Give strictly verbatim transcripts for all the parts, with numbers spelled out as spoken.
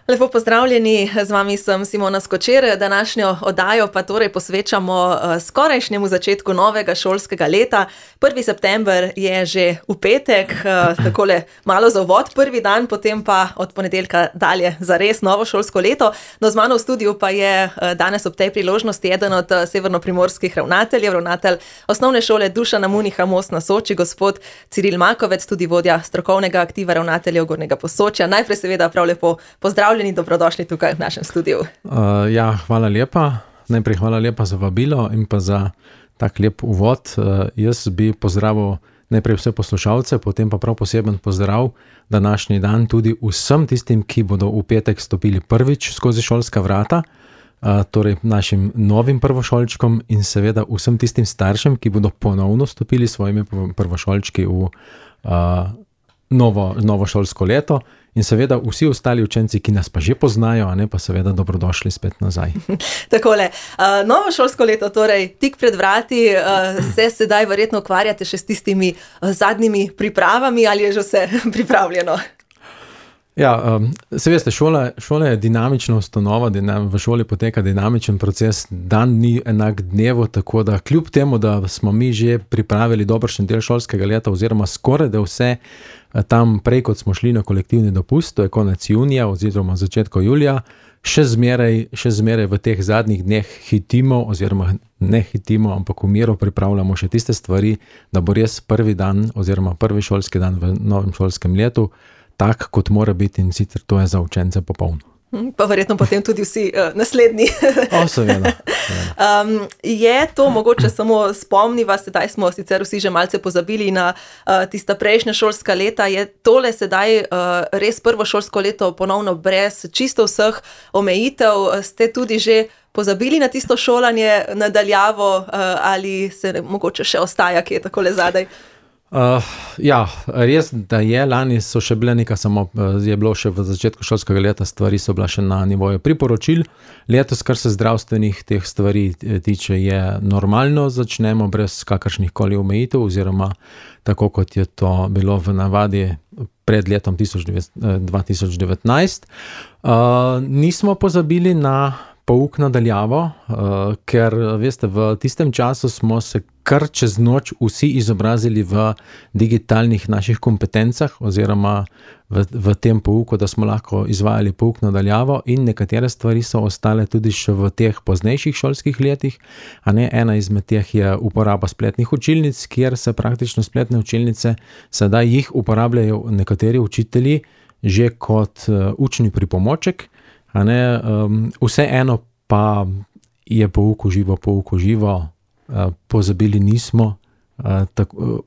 Lepo pozdravljeni, z vami sem Simona Skočer. Današnjo oddajo pa torej posvečamo skorajšnjemu začetku novega šolskega leta. prvi september je že v petek, takole malo za uvod prvi dan, potem pa od ponedeljka dalje za res novo šolsko leto. No, z mano v studiu pa je danes ob tej priložnosti eden od severnoprimorskih ravnateljev, ravnatelj osnovne šole Dušana Muniha Most na Soči, gospod Ciril Makovec, tudi vodja strokovnega aktiva ravnateljev Gornjega Posočja. Najprej seveda prav lepo pozdravljeni. Dobrodošli tukaj v našem studiu. Uh, ja, hvala lepa. Najprej hvala lepa za vabilo in pa za tak lep uvod. Uh, jaz bi pozdravil najprej vse poslušalce, potem pa prav poseben pozdrav današnji dan tudi vsem tistim, ki bodo v petek stopili prvič skozi šolska vrata, uh, torej našim novim prvošolčkom in seveda vsem tistim staršem, ki bodo ponovno stopili svojimi prvošolčki v uh, novo, novo šolsko leto. In seveda vsi ostali učenci, ki nas pa že poznajo, a ne, pa seveda dobrodošli spet nazaj. Takole, uh, novo šolsko leto, torej tik pred vrati, uh, se sedaj verjetno ukvarjate še s tistimi uh, zadnjimi pripravami, ali je že vse pripravljeno? Ja, um, se veste, šola, šola je dinamična ustanova, dinam, v šoli poteka dinamičen proces, dan ni enak dnevu, tako da kljub temu, da smo mi že pripravili dobršen del šolskega leta oziroma skoraj da vse tam prej, kot smo šli na kolektivni dopust, to je konec junija oziroma začetku julija, še zmeraj, še zmeraj v teh zadnjih dneh hitimo oziroma ne hitimo, ampak v miru pripravljamo še tiste stvari, da bo res prvi dan oziroma prvi šolski dan v novem šolskem letu tak, kot mora biti, in sicer to je za učence popolno. Pa verjetno potem tudi vsi uh, naslednji. O, seveda. Um, je to mogoče samo spomniva, sedaj smo sicer vsi že malce pozabili na uh, tista prejšnja šolska leta, je tole sedaj uh, res prvo šolsko leto ponovno brez čisto vseh omejitev, ste tudi že pozabili na tisto šolanje nadaljavo uh, ali se mogoče še ostaja, ki je takole zadaj? Uh, ja, res, da je, lani so še bile nekaj, samo je bilo še v začetku šolskega leta, stvari so bila še na nivoju priporočil. Letos, kar se zdravstvenih teh stvari tiče, je normalno, začnemo brez kakršnih koli omejitev, oziroma tako, kot je to bilo v navadi pred letom dva tisoč devetnajst. Uh, nismo pozabili na pouk nadaljavo, uh, ker, veste, v tistem času smo se kar čez noč vsi izobrazili v digitalnih naših kompetencah oziroma v, v tem pouku, da smo lahko izvajali pouk nadaljavo, in nekatere stvari so ostale tudi še v teh poznejših šolskih letih. A ne, ena izmed teh je uporaba spletnih učilnic, kjer se praktično spletne učilnice sedaj jih uporabljajo nekateri učitelji že kot uh, učni pripomoček. A ne, um, vseeno pa je pouk v živo, pouk v živo, uh, pozabili nismo, uh, tako, uh,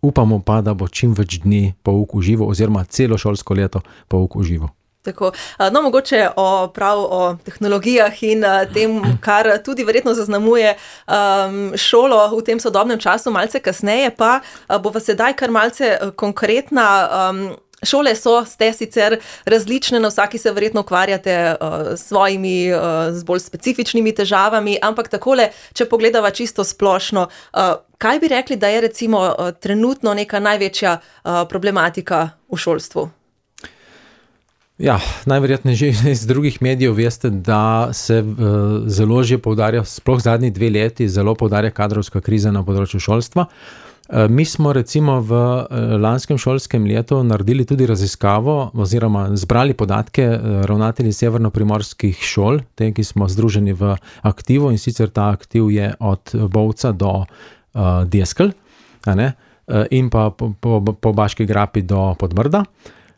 upamo pa, da bo čim več dni pouk v živo oziroma celo šolsko leto pouk v živo. Tako, no, mogoče o, prav o tehnologijah in tem, kar tudi verjetno zaznamuje um, šolo v tem sodobnem času, malce kasneje, pa bova sedaj kar malce konkretna. Um, Šole so, ste sicer različne, na vsaki se verjetno ukvarjate uh, s svojimi, uh, z bolj specifičnimi težavami, ampak takole, če pogledava čisto splošno, uh, kaj bi rekli, da je recimo uh, trenutno neka največja uh, problematika v šolstvu? Ja, najverjetneje že iz drugih medijev veste, da se uh, zelo že poudarja, sploh zadnji dve leti, zelo poudarja kadrovska kriza na področju šolstva. Mi smo recimo v lanskem šolskem letu naredili tudi raziskavo oziroma zbrali podatke ravnatelji severnoprimorskih šol, te, ki smo združeni v aktivu, in sicer ta aktiv je od Bovca do uh, Deskel, a ne, in pa po, po, po Baški grapi do Podbrda.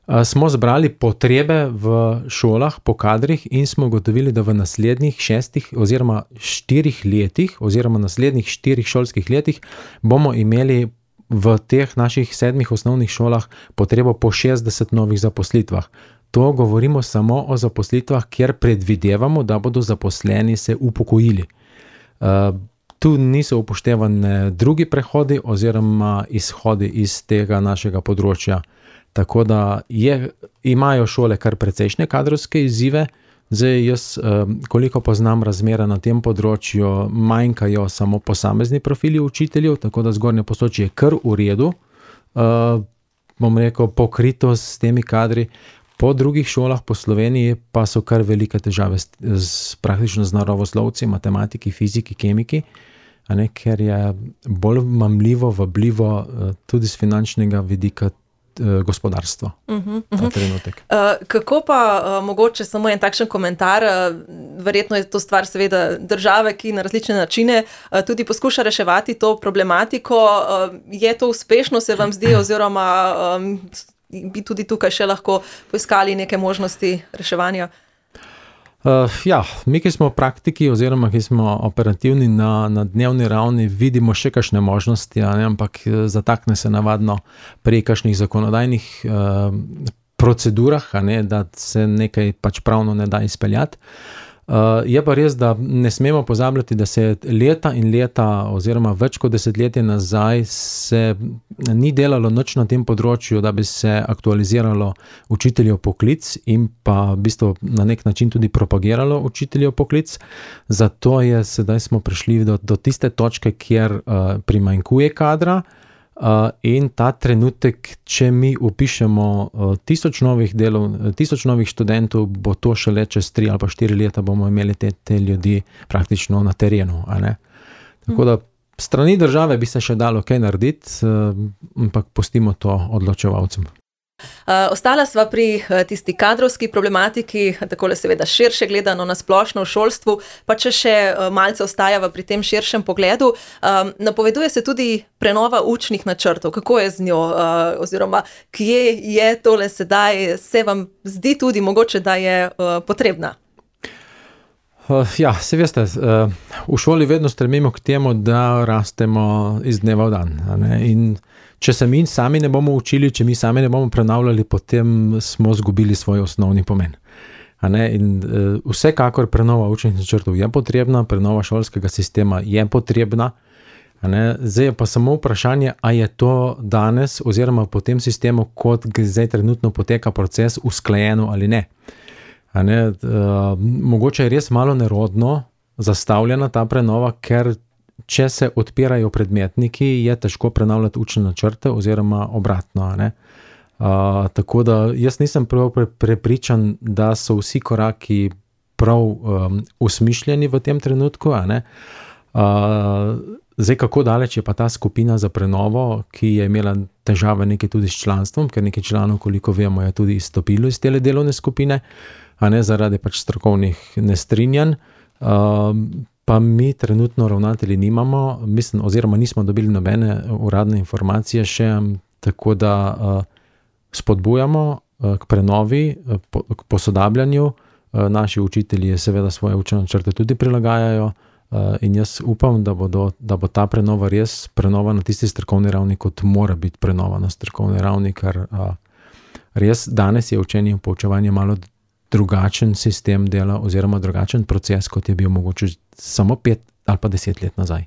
Smo zbrali potrebe v šolah po kadrih in smo ugotovili, da v naslednjih šestih oziroma štirih letih oziroma naslednjih štirih šolskih letih bomo imeli v teh naših sedmih osnovnih šolah potrebo po šestdeset novih zaposlitvah. To govorimo samo o zaposlitvah, kjer predvidevamo, da bodo zaposleni se upokojili. Uh, tu niso upoštevane drugi prehodi oziroma izhodi iz tega našega področja. Tako da je, imajo šole kar precejšnje kadrovske izzive. Zdaj jaz, koliko poznam razmere na tem področju, manjkajo samo posamezni profili učiteljev, tako da Zgornje Posočje je kar v redu, bom rekel, pokrito s temi kadri. Po drugih šolah po Sloveniji pa so kar velike težave s, s praktično z naravoslovci, matematiki, fiziki, kemiki, a ne, ker je bolj mamljivo, vabljivo tudi z finančnega vidika gospodarstvo, uh-huh, uh-huh. ta trenutek. Uh, kako pa uh, mogoče samo en takšen komentar, uh, verjetno je to stvar seveda države, ki na različne načine uh, tudi poskuša reševati to problematiko. Uh, je to uspešno, se vam zdi, oziroma um, bi tudi tukaj še lahko poiskali neke možnosti reševanja? Uh, ja, mi, ki smo praktiki oziroma ki smo operativni na, na dnevni ravni, vidimo še kakšne možnosti, a ne, ampak zatakne se navadno pri kakšnih zakonodajnih uh, procedurah, a ne, da se nekaj pač pravno ne da izpeljati. Uh, je pa res, da ne smemo pozabljati, da se leta in leta oziroma več kot desetletje nazaj se ni delalo nič na tem področju, da bi se aktualiziralo učiteljev poklic in pa v bistvu na nek način tudi propagiralo učiteljev poklic. Zato je sedaj smo prišli do, do tiste točke, kjer uh, primanjkuje kadra. Uh, in ta trenutek, če mi upišemo uh, tisoč novih delov, tisoč novih študentov, bo to šele čez tri ali pa štiri leta bomo imeli te, te ljudi praktično na terenu, a ne? Tako da strani države bi se še dalo kaj narediti, uh, ampak pustimo to odločevalcem. Uh, ostala sva pri uh, tisti kadrovski problematiki, takole seveda širše gledano na splošno v šolstvu, pa če še uh, malce ostajava pri tem širšem pogledu. Um, napoveduje se tudi prenova učnih načrtov. Kako je z njo? Uh, oziroma, kje je tole sedaj? Se vam zdi tudi mogoče, da je uh, potrebna? Uh, ja, se veste, uh, v šoli vedno stremimo k temu, da rastemo iz dneva v dan, a ne? In če se mi sami ne bomo učili, če mi sami ne bomo prenavljali, potem smo zgubili svoj osnovni pomen. A ne? In uh, vsekakor prenova učnih načrtov je potrebna, prenova šolskega sistema je potrebna. A ne? Zdaj je pa samo vprašanje, a je to danes oziroma po tem sistemu, kot zdaj trenutno poteka proces, usklajeno ali ne. A ne? Uh, mogoče je res malo nerodno zastavljena ta prenova, ker če se odpirajo predmetniki, je težko prenavljati učne načrte oziroma obratno. A ne? Uh, tako da jaz nisem prav prepričan, da so vsi koraki prav um, usmišljeni v tem trenutku. A ne? Uh, zdaj, kako daleč je pa ta skupina za prenovo, ki je imela težave nekaj tudi s članstvom, ker nekaj članov, koliko vemo, je tudi izstopilo iz tele delovne skupine, a ne zaradi pač strokovnih nestrinjanj. Uh, pa mi trenutno ravnatelji nimamo, mislim, oziroma nismo dobili nobene uradne informacije še, tako da uh, spodbujamo uh, k prenovi, uh, po, k posodabljanju. Uh, naši učitelji seveda svoje učne načrte tudi prilagajajo uh, in jaz upam, da, bodo, da bo ta prenova res prenova na tisti strokovni ravni, kot mora biti prenova na strokovni ravni, ker uh, res danes je učenje in poučevanje malo drugačen sistem dela oziroma drugačen proces, kot je bil mogoče samo pet ali pa deset let nazaj.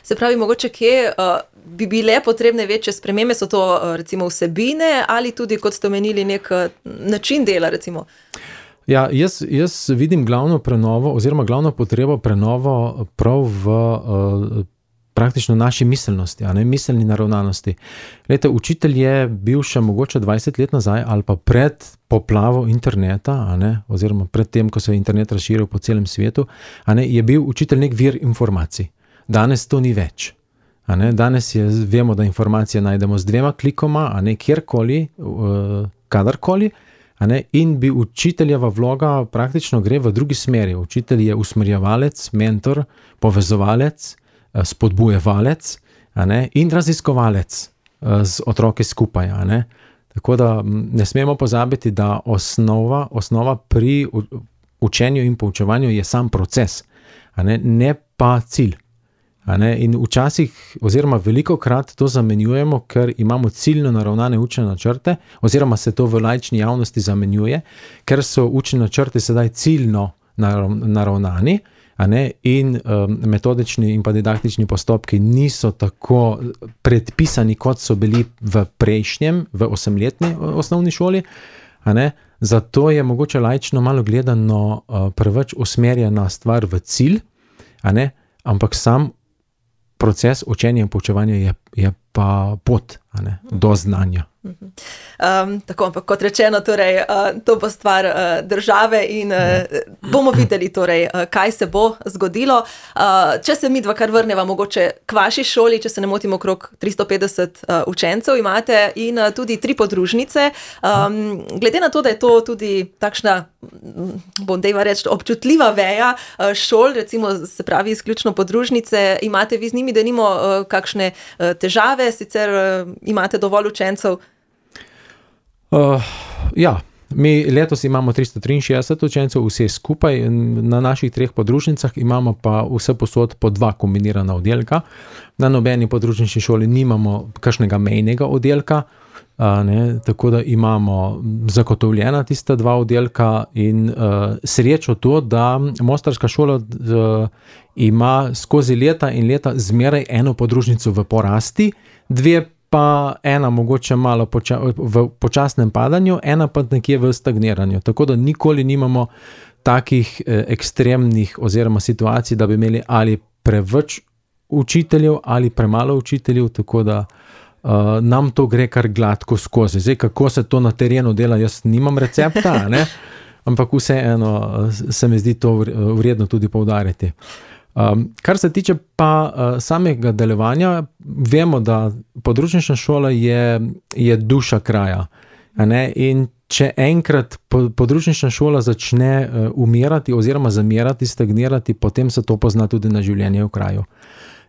Se pravi, mogoče kje uh, bi bile potrebne večje spremembe, so to uh, recimo vsebine ali tudi, kot ste omenili, nek uh, način dela recimo? Ja, jaz, jaz vidim glavno prenovo oziroma glavno potrebo prenovo prav v uh, praktično naši miselnosti, a ne miselni naravnanosti. Glejte, učitelj je bil še mogoče dvajset let nazaj ali pa pred poplavo interneta, a ne, oziroma pred tem, ko se je internet razširil po celem svetu, a ne, je bil učitelj nek vir informacij. Danes to ni več. A ne, danes je, vemo, da informacije najdemo z dvema klikoma, a ne kjerkoli, uh, kadarkoli, a ne, in bi učiteljeva vloga praktično gre v drugi smeri. Učitelj je usmerjevalec, mentor, povezovalec, spodbujevalec, a ne, in raziskovalec z otroki skupaj. A ne. Tako da ne smemo pozabiti, da osnova, osnova pri učenju in poučevanju je sam proces, a ne, ne pa cilj. A ne. In včasih oziroma velikokrat to zamenjujemo, ker imamo ciljno naravnane učne načrte, oziroma se to v laični javnosti zamenjuje, ker so učni načrti sedaj ciljno naravnani, a ne, in um, metodični in pa didaktični postopki niso tako predpisani, kot so bili v prejšnjem, v osemletni osnovni šoli, a ne, zato je mogoče laično malo gledano uh, preveč usmerjena stvar v cilj, a ne, ampak sam proces učenja in poučevanja je, je pa pot, a ne, do znanja. Um, tako, ampak kot rečeno, torej, uh, to bo stvar uh, države in uh, bomo videli, torej, uh, kaj se bo zgodilo. Uh, če se mi dva kar vrneva mogoče k vaši šoli, če se ne motim, okrog tristo petdeset uh, učencev imate in uh, tudi tri podružnice. Um, glede na to, da je to tudi takšna, bom dejva reči, občutljiva veja uh, šol, recimo se pravi izključno podružnice, imate vi z njimi, da nimo uh, kakšne uh, težave, sicer uh, imate dovolj učencev? Uh, ja, mi letos imamo tristo triinšestdeset učencev, vse skupaj, na naših treh podružnicah imamo pa vse posod po dva kombinirana oddelka. Na nobeni podružnični šoli nimamo kakšnega mejnega oddelka, uh, ne, tako da imamo zagotovljena tista dva oddelka in uh, srečo to, da mostarska šola uh, ima skozi leta in leta zmeraj eno podružnico v porasti, dve pa ena mogoče malo poča, v počasnem padanju, ena pa nekje v stagniranju. Tako da nikoli nimamo takih eh, ekstremnih oziroma situacij, da bi imeli ali preveč učiteljev ali premalo učiteljev, tako da uh, nam to gre kar gladko skozi. Zdaj, kako se to na terenu dela, jaz nimam recepta, ne? Ampak vseeno se mi zdi to vredno tudi poudariti. Um, kar se tiče pa uh, samega delovanja, vemo, da podružnična šola je, je duša kraja. A ne? In če enkrat podružnična šola začne uh, umirati oziroma zamirati, stagnirati, potem se to pozna tudi na življenje v kraju.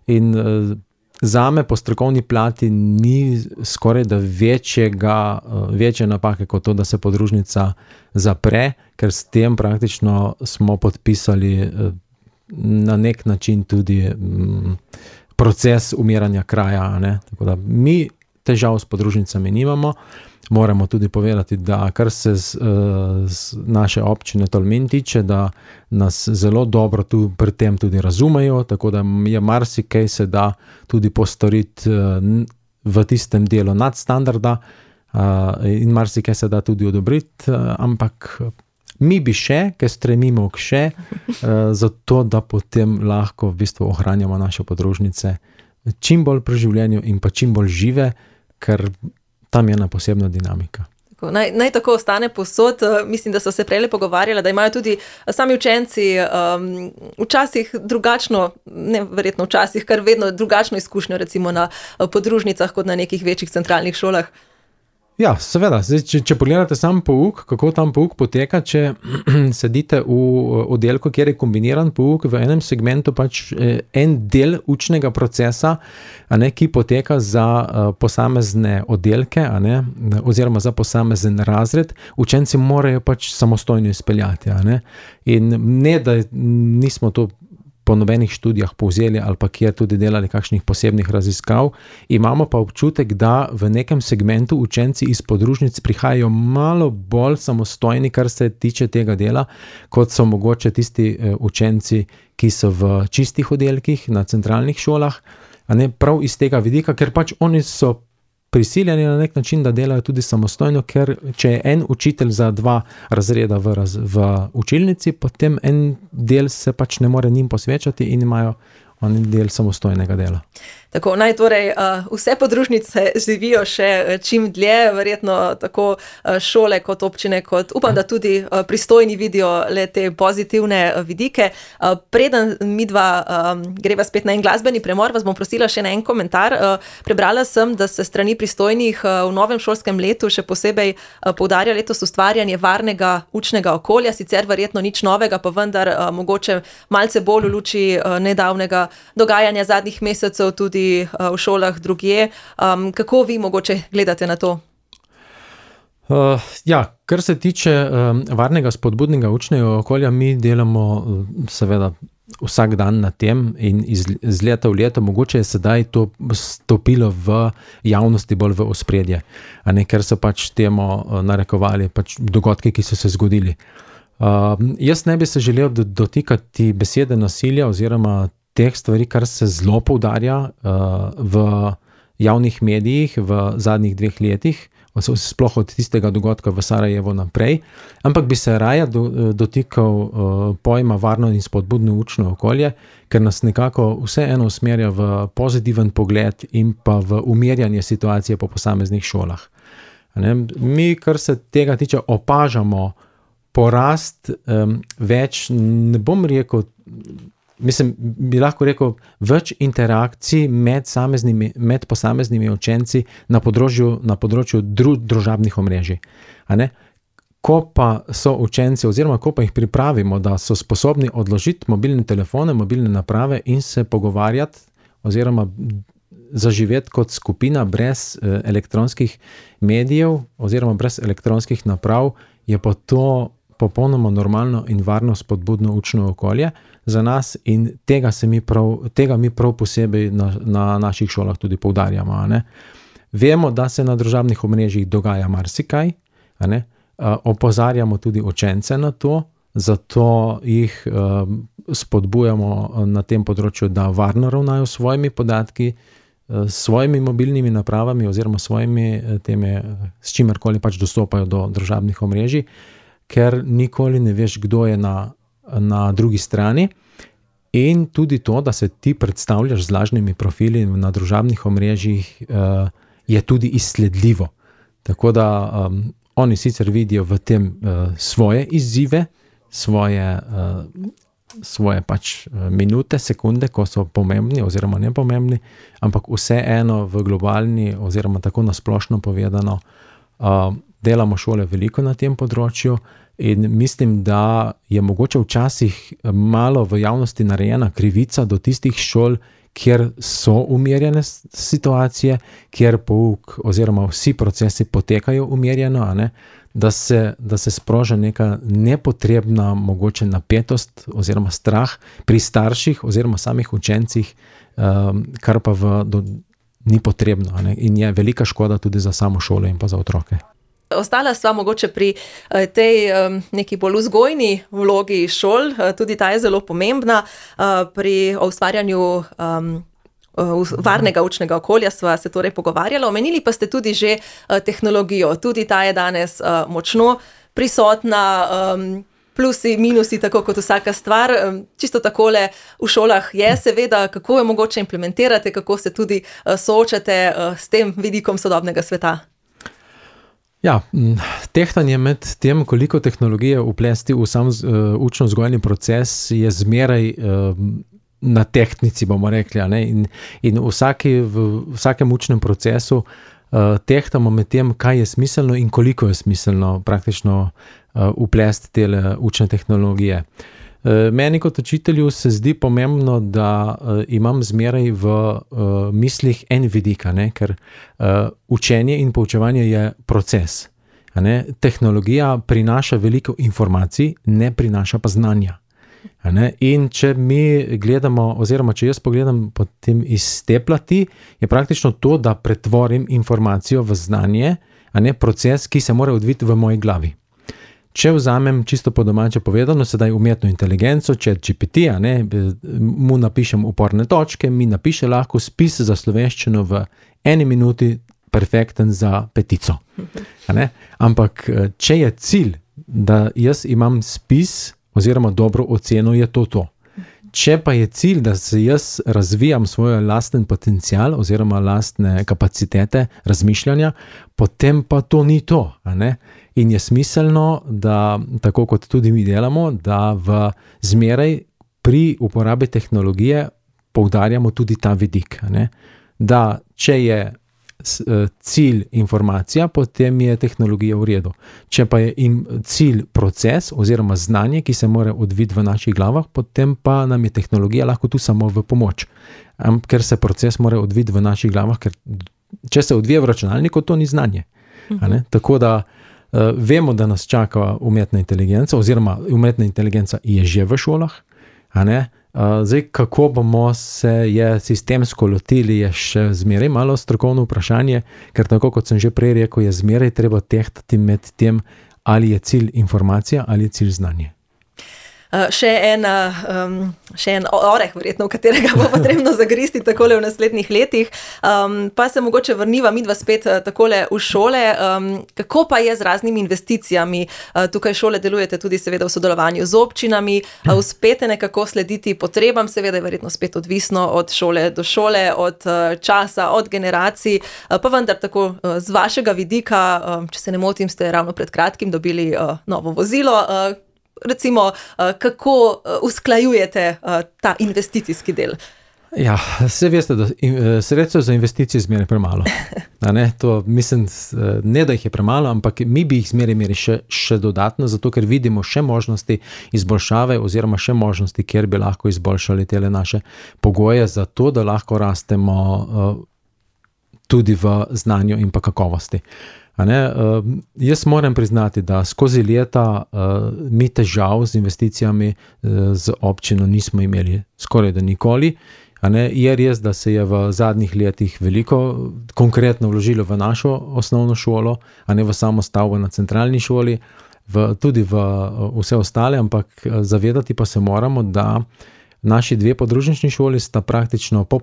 In uh, zame po strokovni plati ni skoraj da večjega, uh, večje napake kot to, da se podružnica zapre, ker s tem praktično smo podpisali uh, na nek način tudi m, proces umiranja kraja. Ne? Tako da mi težav s podružnicami nimamo. Moramo tudi povedati, da kar se z, z naše občine Tolmin tiče, da nas zelo dobro tu pri tem tudi razumejo, tako da je marsikaj se da tudi postoriti v tistem delu nadstandarda in marsikaj se da tudi odobriti, ampak mi bi še, ker stremimo k še, zato da potem lahko v bistvu ohranjamo naše podružnice čim bolj pri življenju in pa čim bolj žive, ker tam je ena posebna dinamika. Tako, naj, naj tako ostane povsod. Mislim, da so se prejle pogovarjali, da imajo tudi sami učenci um, včasih drugačno, ne verjetno včasih, kar vedno drugačno izkušnjo recimo na podružnicah kot na nekih večjih centralnih šolah. Ja, seveda. Zdaj, če, če pogledate sam pouk, kako tam pouk poteka, če sedite v oddelku, kjer je kombiniran pouk, v enem segmentu pač en del učnega procesa, a ne, ki poteka za uh, posamezne oddelke, a ne, oziroma za posamezen razred, učenci morajo pač samostojno izpeljati. A ne. In ne, da nismo to po nobenih študijah povzeli ali pa kjer tudi delali kakšnih posebnih raziskav, imamo pa občutek, da v nekem segmentu učenci iz podružnic prihajajo malo bolj samostojni, kar se tiče tega dela, kot so mogoče tisti učenci, ki so v čistih oddelkih na centralnih šolah, a ne prav iz tega vidika, ker pač oni so prisiljeni na nek način, da delajo tudi samostojno, ker če je en učitelj za dva razreda v, raz, v učilnici, potem en del se pač ne more njim posvečati in imajo oni del samostojnega dela. Tako, naj torej uh, vse podružnice živijo še čim dlje, verjetno tako uh, šole kot občine, kot upam, da tudi uh, pristojni vidijo le te pozitivne uh, vidike. Uh, preden midva um, greva spet na en glasbeni premor, vas bom prosila še na en komentar. Uh, prebrala sem, da se strani pristojnih uh, v novem šolskem letu še posebej uh, poudarja letos ustvarjanje varnega učnega okolja, sicer verjetno nič novega, pa vendar uh, mogoče malce bolj v luči uh, nedavnega dogajanja zadnjih mesecev tudi v šolah drugje. Um, kako vi mogoče gledate na to? Uh, ja, kar se tiče um, varnega spodbudnega učnega okolja, mi delamo uh, seveda vsak dan na tem in iz, iz leta v leto, mogoče je sedaj to stopilo v javnosti bolj v ospredje, a ne, ker so pač temu uh, narekovali pač dogodki, ki so se zgodili. Uh, jaz ne bi se želel dotikati besede nasilja oziroma teh stvari, kar se zelo poudarja uh, v javnih medijih v zadnjih dveh letih, sploh od tistega dogodka v Sarajevu naprej, ampak bi se raje do, dotikal uh, pojma varno in spodbudno učno okolje, ker nas nekako vseeno usmerja v pozitiven pogled in pa v umirjanje situacije po posameznih šolah. Ne? Mi, kar se tega tiče, opažamo porast um, več, ne bom rekel, mislim, bi lahko rekel, več interakcij med, med posameznimi učenci na področju, na področju dru, družabnih omrežij. A ne? Ko pa so učenci, oziroma ko pa jih pripravimo, da so sposobni odložiti mobilne telefone, mobilne naprave in se pogovarjati, oziroma zaživeti kot skupina brez eh, elektronskih medijev, oziroma brez elektronskih naprav, je pa to popolnoma normalno in varno spodbudno učno okolje za nas in tega, se mi, prav, tega mi prav posebej na, na naših šolah tudi poudarjamo. A ne? Vemo, da se na družabnih omrežjih dogaja marsikaj, a ne? Uh, opozarjamo tudi učence na to, zato jih uh, spodbujamo na tem področju, da varno ravnajo s svojimi podatki, uh, s svojimi mobilnimi napravami oziroma svojimi temi, s čimerkoli pač dostopajo do družabnih omrežij, ker nikoli ne veš, kdo je na, na drugi strani. In tudi to, da se ti predstavljaš z lažnimi profili na družabnih omrežjih, uh, je tudi izsledljivo. Tako da um, oni sicer vidijo v tem uh, svoje izzive, svoje, uh, svoje pač uh, minute, sekunde, ko so pomembni oziroma nepomembni, ampak vseeno v globalni oziroma tako nasplošno povedano uh, delamo šole veliko na tem področju in mislim, da je mogoče včasih malo v javnosti narejena krivica do tistih šol, kjer so umirjene situacije, kjer pouk oziroma vsi procesi potekajo umirjeno, a ne? Da se, da se sproža neka nepotrebna mogoče napetost oziroma strah pri starših oziroma samih učencih, um, kar pa v, do, ni potrebno, a ne? In je velika škoda tudi za samo šolo in pa za otroke. Ostala sva mogoče pri tej um, neki bolj vzgojni vlogi šol, tudi ta je zelo pomembna. Uh, pri ustvarjanju um, varnega učnega okolja sva se torej pogovarjala. Omenili pa ste tudi že uh, tehnologijo. Tudi ta je danes uh, močno prisotna, um, plusi, minusi, tako kot vsaka stvar. Um, čisto takole v šolah je seveda, kako je mogoče implementirati, kako se tudi uh, soočate uh, s tem vidikom sodobnega sveta. Ja, tehtanje med tem, koliko tehnologije vplesti v sam uh, učno-vzgojni proces, je zmeraj uh, na tehtnici, bomo rekli. A ne? In, in vsaki, v vsakem učnem procesu uh, tehtamo med tem, kaj je smiselno in koliko je smiselno praktično uh, vplesti te učne tehnologije. Meni kot učitelju se zdi pomembno, da uh, imam zmeraj v uh, mislih en vidik, ne? Ker uh, učenje in poučevanje je proces. A ne? Tehnologija prinaša veliko informacij, ne prinaša pa znanja. A ne? In če mi gledamo, oziroma če jaz pogledam potem iz te plati, je praktično to, da pretvorim informacijo v znanje, a ne proces, ki se mora odviti v moji glavi. Če vzamem čisto po domače povedano, sedaj umetno inteligenco, Chat G P T, a ne, mu napišem uporne točke, mi napiše lahko spis za slovenščino v eni minuti, perfekten za petico. A ne? Ampak, če je cilj, da jaz imam spis oziroma dobro oceno, je to to. Če pa je cilj, da se jaz razvijam svoj lasten potencial oziroma lastne kapacitete razmišljanja, potem pa to ni to, a ne? In je smiselno, da tako kot tudi mi delamo, da v zmeraj pri uporabi tehnologije poudarjamo tudi ta vidik, a ne? Da če je cilj informacija, potem je tehnologija v redu. Če pa je cilj proces oziroma znanje, ki se mora odviti v naših glavah, potem pa nam je tehnologija lahko tu samo v pomoč. Ker se proces mora odviti v naših glavah, ker če se odvije v računalniku, to ni znanje. A ne? Tako da uh, vemo, da nas čaka umetna inteligenca oziroma umetna inteligenca je že v šolah, a ne? Uh, zdaj, kako bomo se je sistemsko lotili, je še zmeraj malo strokovno vprašanje, ker tako kot sem že prej rekel, je zmeraj treba tehtati med tem, ali je cilj informacija ali je cilj znanje. še en, um, še en oreh, verjetno, v katerega bo potrebno zagristi takole v naslednjih letih. Um, pa se mogoče vrniva midva spet takole v šole. Um, kako pa je z raznimi investicijami? Uh, tukaj šole delujete tudi seveda v sodelovanju z občinami. Uh, uspete nekako slediti potrebam, seveda je verjetno spet odvisno od šole do šole, od uh, časa, od generacij. Uh, pa vendar tako uh, z vašega vidika, uh, če se ne motim, ste ravno pred kratkim dobili uh, novo vozilo. Uh, recimo, uh, kako uh, usklajujete uh, ta investicijski del? Ja, vse veste, da sredstev za investicije zmeraj premalo. Ne, to mislim, ne da jih je premalo, ampak mi bi jih zmeraj imeli še, še dodatno, zato ker vidimo še možnosti izboljšave oziroma še možnosti, kjer bi lahko izboljšali tele naše pogoje za to, da lahko rastemo uh, tudi v znanju in pa kakovosti. A ne, uh, jaz moram priznati, da skozi leta uh, mi težav z investicijami uh, z občino nismo imeli skoraj da nikoli. A ne, je res, da se je v zadnjih letih veliko konkretno vložilo v našo osnovno šolo, a ne v samo stavbo na centralni šoli, v, tudi v vse ostale, ampak zavedati pa se moramo, da naši dve podružnični šoli sta praktično po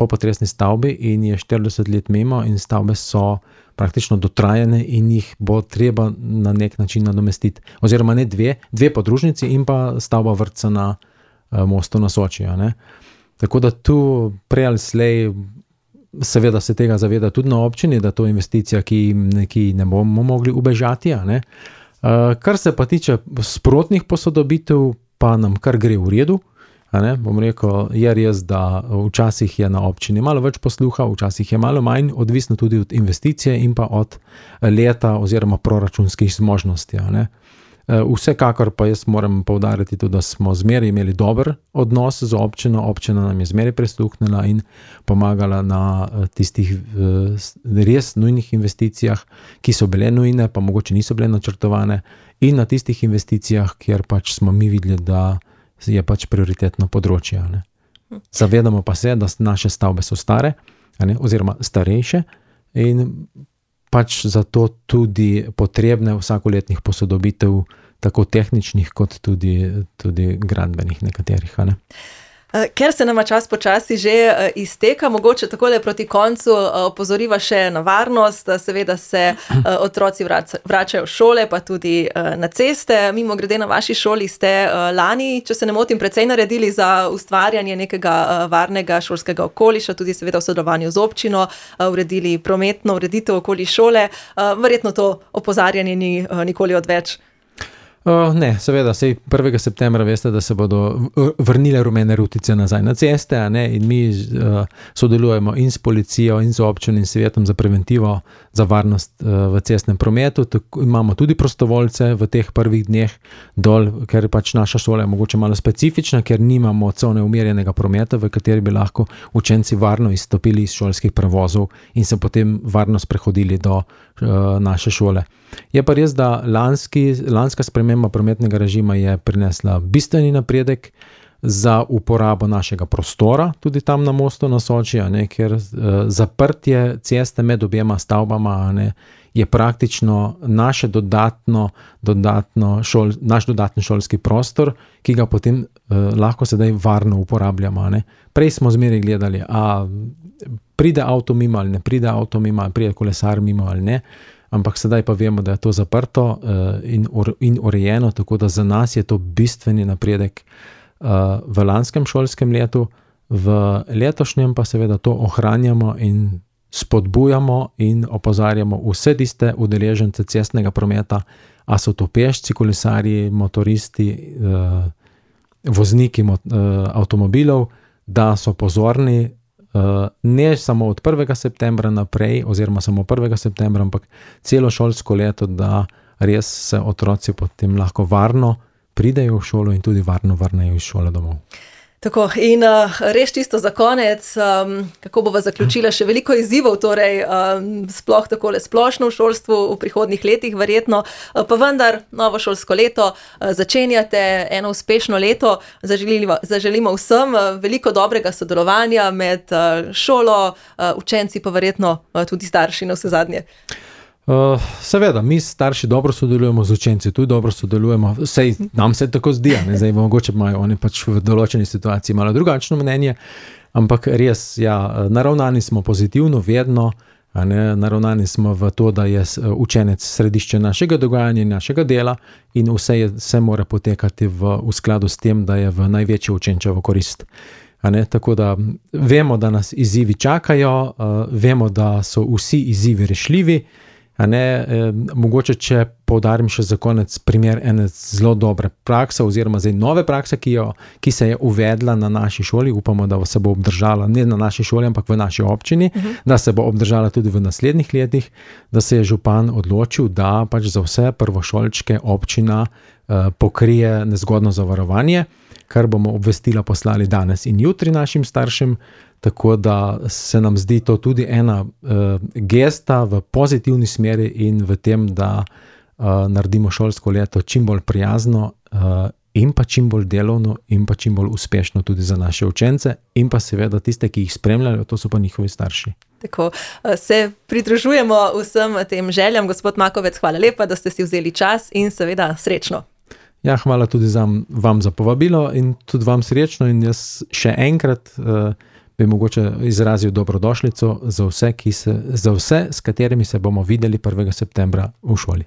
potresni stavbi in je štirideset let mimo in stavbe so praktično dotrajane in jih bo treba na nek način nadomestiti. Oziroma ne dve, dve podružnici in pa stavba vrtca na mostu na Soči, a ne. Tako da tu prej ali slej, seveda se tega zaveda tudi na občini, da to je investicija, ki, ki ne bomo mogli ubežati. A ne. Uh, kar se pa tiče sprotnih posodobitev, pa nam kar gre v redu. A ne. Bom rekel, je res, da včasih je na občini malo več posluha, včasih je malo manj, odvisno tudi od investicije in pa od leta oziroma proračunskih zmožnosti. A ne. Vsekakor pa jaz moram poudariti tudi, da smo zmeraj imeli dober odnos z občino, občina nam je zmeraj prisluhnila in pomagala na tistih res nujnih investicijah, ki so bile nujne, pa mogoče niso bile načrtovane, in na tistih investicijah, kjer pač smo mi videli, da je pač prioritetno področje. Ne. Zavedamo pa se, da naše stavbe so stare, ne, oziroma starejše in pač zato tudi potrebne vsakoletnih posodobitev, tako tehničnih kot tudi, tudi gradbenih nekaterih. Ne? Ker se nama čas počasi že izteka, mogoče takole proti koncu opozoriva še na varnost. Seveda se otroci vračajo v šole, pa tudi na ceste. Mimo grede na vaši šoli ste lani, če se ne motim, precej naredili za ustvarjanje nekega varnega šolskega okoliša, tudi seveda v sodelovanju z občino, uredili prometno ureditev okoli šole. Verjetno to opozarjanje ni nikoli odveč. Uh, ne, seveda, sej prvega septembra veste, da se bodo vrnile rumene rutice nazaj na ceste, a ne, in mi uh, sodelujemo in s policijo, in z občino, in svetom za preventivo, za varnost uh, v cestnem prometu. Tako, imamo tudi prostovoljce v teh prvih dneh dol, ker pač naša šola je mogoče malo specifična, ker nimamo cone umirjenega prometa, v kateri bi lahko učenci varno izstopili iz šolskih prevozov in se potem varno sprehodili do uh, naše šole. Je pa res, da lanski, lanska sprememba prometnega režima je prinesla bistveni napredek za uporabo našega prostora, tudi tam na mostu na Soči, a ne, ker uh, zaprtje ceste med objema stavbama, a ne, je praktično naše dodatno, dodatno šol, naš dodatni šolski prostor, ki ga potem uh, lahko sedaj varno uporabljamo. A ne. Prej smo zmeraj gledali, a pride avto mimo ali ne pride avto mimo, ali pride kolesar mimo ali ne. Ampak sedaj pa vemo, da je to zaprto uh, in, ur, in urejeno, tako da za nas je to bistveni napredek uh, v lanskem šolskem letu, v letošnjem pa seveda to ohranjamo in spodbujamo in opozarjamo vse tiste udeležence cestnega prometa, a so to pešci, kolesarji, motoristi, uh, vozniki mot, uh, avtomobilov, da so pozorni, Uh, ne samo od prvega septembra naprej, oziroma samo prvega septembra, ampak celo šolsko leto, da res se otroci potem lahko varno pridejo v šolo in tudi varno vrnejo iz šole domov. Tako, in uh, res čisto za konec, um, kako bova zaključila, še veliko izzivov, torej um, sploh takole splošno v šolstvu v prihodnjih letih verjetno, uh, pa vendar novo šolsko leto uh, začenjate, eno uspešno leto, zaželimo, zaželimo vsem uh, veliko dobrega sodelovanja med uh, šolo, uh, učenci pa verjetno uh, tudi starši na vse zadnje. Uh, seveda, mi starši dobro sodelujemo z učenci, tudi dobro sodelujemo, sej nam se tako zdi, ne, zdaj mogoče imajo oni pač v določeni situaciji malo drugačno mnenje, ampak res, ja, naravnani smo pozitivno, vedno, a ne, naravnani smo v to, da je učenec središče našega dogajanja in našega dela in vse, je, vse mora potekati v, v skladu s tem, da je v največjo učenčevo korist. A ne, tako da vemo, da nas izzivi čakajo, uh, vemo, da so vsi izzivi rešljivi. A ne, eh, mogoče, če poudarim še za konec primer ene zelo dobre prakse oziroma zdaj nove prakse, ki, jo, ki se je uvedla na naši šoli, upamo, da se bo obdržala ne na naši šoli, ampak v naši občini, uh-huh. da se bo obdržala tudi v naslednjih letih, da se je župan odločil, da pač za vse prvošolčke občina eh, pokrije nezgodno zavarovanje, kar bomo obvestila poslali danes in jutri našim staršem. Tako da se nam zdi to tudi ena uh, gesta v pozitivni smeri in v tem, da uh, naredimo šolsko leto čim bolj prijazno uh, in pa čim bolj delovno in pa čim bolj uspešno tudi za naše učence in pa seveda tiste, ki jih spremljajo, to so pa njihovi starši. Tako, se pridružujemo vsem tem željam. Gospod Makovec, hvala lepa, da ste si vzeli čas in seveda srečno. Ja, hvala tudi za, vam za povabilo in tudi vam srečno in jaz še enkrat uh, bi mogoče izrazil dobrodošlico za vse, ki se, za vse, s katerimi se bomo videli prvega septembra v šoli.